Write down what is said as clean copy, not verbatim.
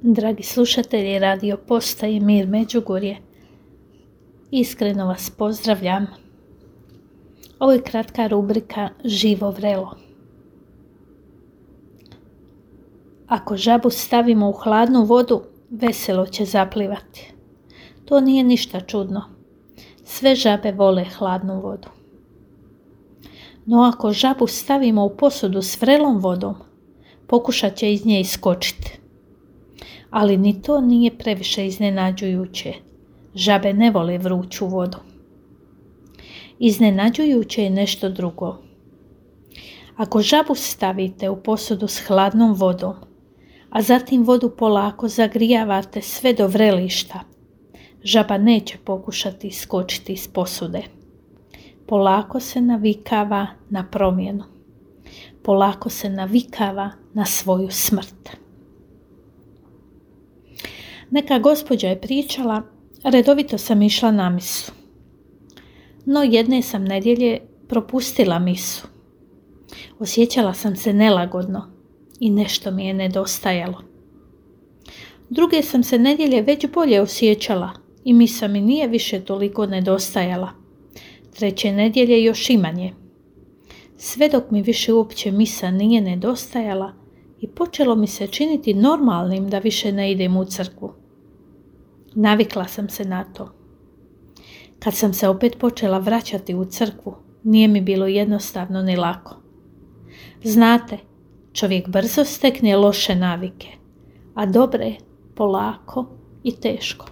Dragi slušatelji Radio Postaje Mir Međugorje, iskreno vas pozdravljam. Ovo je kratka rubrika Živo vrelo. Ako žabu stavimo u hladnu vodu, veselo će zaplivati. To nije ništa čudno. Sve žabe vole hladnu vodu. No ako žabu stavimo u posudu s vrelom vodom, pokušat će iz nje iskočiti. Ali ni to nije previše iznenađujuće. Žabe ne vole vruću vodu. Iznenađujuće je nešto drugo. Ako žabu stavite u posudu s hladnom vodom, a zatim vodu polako zagrijavate sve do vrelišta, žaba neće pokušati iskočiti iz posude. Polako se navikava na promjenu. Polako se navikava na svoju smrt. Neka gospođa je pričala, redovito sam išla na misu. No jedne sam nedjelje propustila misu. Osjećala sam se nelagodno i nešto mi je nedostajalo. Druge sam se nedjelje već bolje osjećala i misa mi nije više toliko nedostajala. Treće nedjelje još i manje. Sve dok mi više uopće misa nije nedostajala i počelo mi se činiti normalnim da više ne idem u crkvu. Navikla sam se na to. Kad sam se opet počela vraćati u crkvu, nije mi bilo jednostavno ni lako. Znate, čovjek brzo stekne loše navike, a dobre polako i teško.